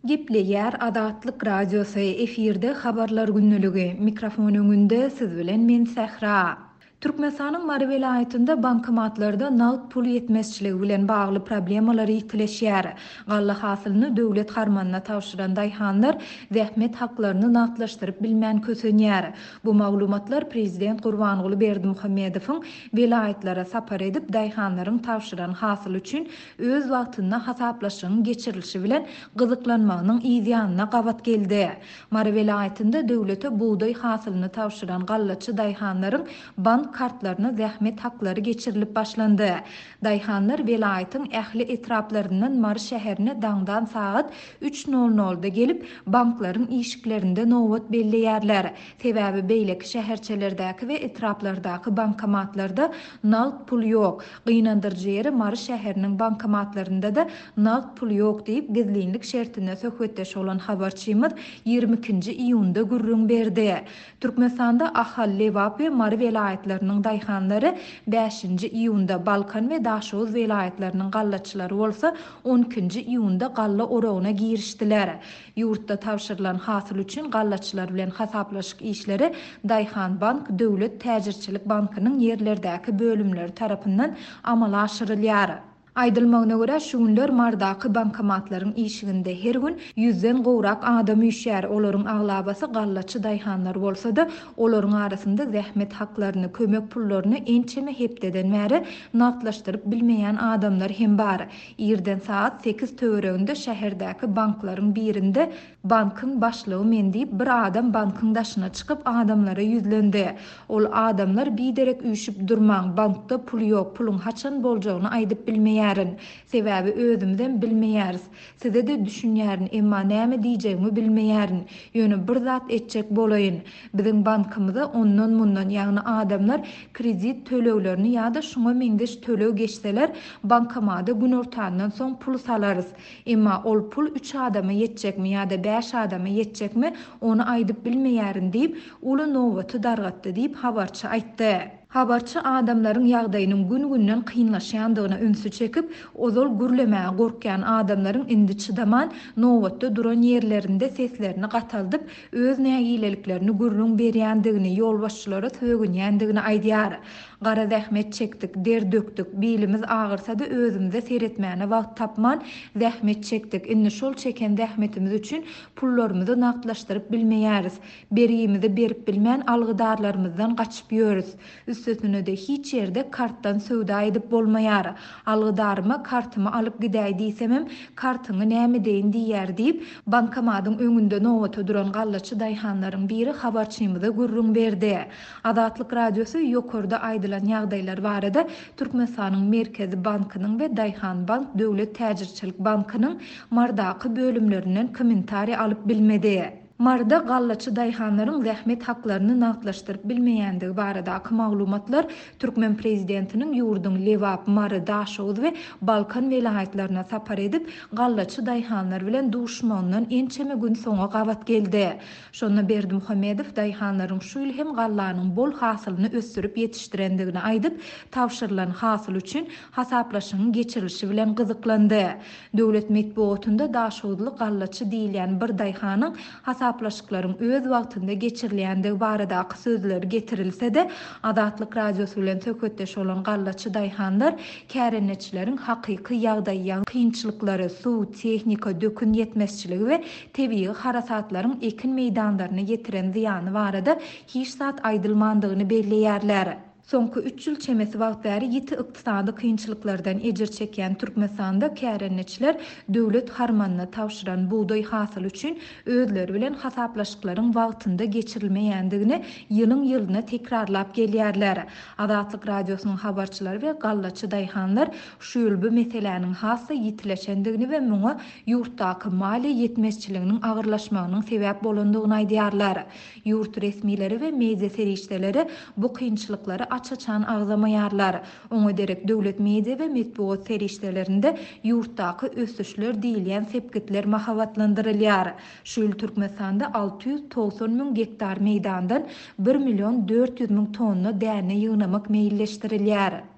Gepleýär Azatlyk Radiosy, efirde Habarlar gündeligi, mikrofon öňünde siz bilen men Sähra. Türkmenistanyň Mary welaýatynda bankomatlarda nagt pul ýetmezçiligi bilen bagly problemalar ýitileşýär. Galla hasylyny döwlet harmanyna tabşyran daýhanlar zähmet haklaryny nagtlaşdyryp bilmän kösenýär. Bu maglumatlar prezident Gurbanguly Berdimuhamedowyň welaýatlara sapar edip, daýhanlaryň tabşyran hasyly üçin öz wagtynda hasaplaşygyň geçirilişi bilen gyzyklanmagynyň yz ýanyna gabat geldi. Mary welaýatynda döwlete bugdaý hasylyny tabşyran gallaçy daýhanlaryň bank kartlaryna zähmet haklary geçirilip başlandy. Daýhanlar welaýatyň ähli etraplaryndan Mary şäherine daňdan sagat üç nol nolda gelip, banklaryň işiklerinde nobat belleýärler. Sebäbi beýleki şäherçelerdäki we etraplardaky bankomatlarda nagt pul ýok. Gynandyryjy ýeri Mary şäheriniň bankomatlarynda-da nagt pul ýok diýip, gizlinlik şertinde söhbetdeş bolan habarçymyz 22-nji iýunda gürrüň berdi. Türkmenistanda Ahal, Lebap we Mary welaýatlarynyň daýhanlary bäşinji iýunda, Balkan we Daşoguz welaýatlarynyň gallaçylary bolsa on ikinji iýunda galla oragyna girişdiler. Ýurtda tabşyrylan hasyl üçin gallaçylar bilen hasaplaşyk işleri Daýhanbank döwlet täjirçilik bankynyň ýerlerdäki bölümleri tarapyndan amala aşyrylýar. Aýdylmagyna görä, şu günler Marydaky bankomatlaryň işiginde her gün ýüzden gowrak adam üýşýär. Olaryň aglabasy gallaçy daýhanlar bolsa-da, olaryň arasynda zähmet haklaryny, kömek pullaryny ençeme hepdeden bäri nagtlaşdyryp bilmeýän adamlar hem bar. Irden sagat sekiz töwereginde şäherdäki banklaryň birinde bankyň başlygy men diýip bir adam bankyň daşyna çykyp adamlara ýüzlendi. Ol adamlar biderek üýşüp durmaň, bankda pul ýok, puluň haçan boljagyny aýdyp bilmeýärin. Sebäbi özümizem bilmeýäris. Size-de düşünýärin, emma näme diýjegimi bilmeýärin. Ýöne bir zat etjek bolaýyn. Biziň bankymyza ondan-mundan, ýagny adamlar kredit töleglerini ýa-da şuňa meňzeş töleg geçseler, bankomada günortandan soň pul salarys. Emma ol pul üç adama ýetjekmi ýa-da bäş adama ýetjekmi, ony aýdyp bilmeýärin diýip, uly nobaty dargatdy diýip, habarçy aýtdy. Habarçy adamlaryň ýagdaýynyň gün-günden kynlaşýandygyna ünsi çekip, ozal gürlemäge gorkýan adamlaryň indi çydaman, nobatda duran ýerlerinde seslerini gataldyp, öz nägileliklerini gürrüň berýändigini, ýolbaşçylara sögünýändigini aýdýar. Gara zähmet çekdik, der dökdük, bilimiz agyrsa-da özümize seretmäne wagt tapman, zähmet çekdik, indi şol çeken zähmetimiz üçin pullarymyzy nagtlaşdyryp bilmeýäris. Bergimizi berip bilmän algydarlarymyzdan gaçyp ýörüs. Üstesine-de hiç ýerde kartdan söwda edip bolmaýar. Algydaryma kartymy alyp gidäý diýsemem, kartyňy nämedeýin diýýär diýip, bankomadyň öňünde nobata duran gallaçy daýhanlaryň biri habarçymyza gürrüň berdi. Azatlyk Radiosy ýokarda aýdylan ýagdaýlar barada Türkmenistanyň Merkezi bankynyň we Daýhanbank döwlet täjirçilik bankynyň Marydaky bölümlerinden kommentariý alyp bilmedi. Maryda gallaçy daýhanlaryň zähmet haklaryny nagtlaşdyryp bilmeýändigi baradaky maglumatlar türkmen prezidentiniň ýurduň Lebap, Mary, Daşoguz we Balkan welaýatlaryna sapar edip, gallaçy daýhanlar bilen duşmagyndan ençeme gün soňa gabat geldi. Şonda Berdimuhamedow daýhanlaryň şu ýyl hem gallanyň bol hasylyny ösdürip ýetişdirendigini aýdyp, tabşyrylan hasyl üçin hasaplaşygyň geçirilişi bilen gyzyklandy. Döwlet metbugatynda daşoguzly gallaçy diýilýän bir daýhanyň hasaplaşyklaryň öz wagtynda geçirilýändigi baradaky sözleri getirilse-de, Azatlyk Radiosy bilen söhbetdeş bolan gallaçy daýhanlar kärendeçileriň hakyky ýagdaýy, kynçylyklary, suw, tehnika, dökün ýetmezçiligi we tebigy harasatlaryň ekin meýdanlaryna ýetiren zyýany barada hiç zat aýdylmandygyny belleýärler. Soňky üç ýyl çemesi wagt bäri ýiti ykdysady kynçylyklardan ejir çekýän Türkmenistanda kärendeçiler döwlet harmanyna tabşyran bugdaý hasyly üçin özleri bilen hasaplaşyklaryň wagtynda geçirilmeýändigini ýylyň-ýylyna tekrarlap gelýärler. Azatlyk Radiosynyň habarçylary we gallaçy daýhanlar şu ýyl bu meseläniň has-da ýitileşendigini we muňa ýurtdaky maliýe ýetmezçiliginiň agyrlaşmagynyň sebäp bolandygyny aýdýarlar. Ýurt resmileri we media serişdeleri bu kynçylyklary aç-açan agzamaýarlar. Oňa derek döwlet media we metbugat serişdelerinde ýurtdaky ösüşler diýilýän sepgitler mahabatlandyrylýar. Şu ýyl Türkmenistanda 690 müň gektar meýdandan bir million 400 müň tonna däne ýygnamak meýilleşdirilýär.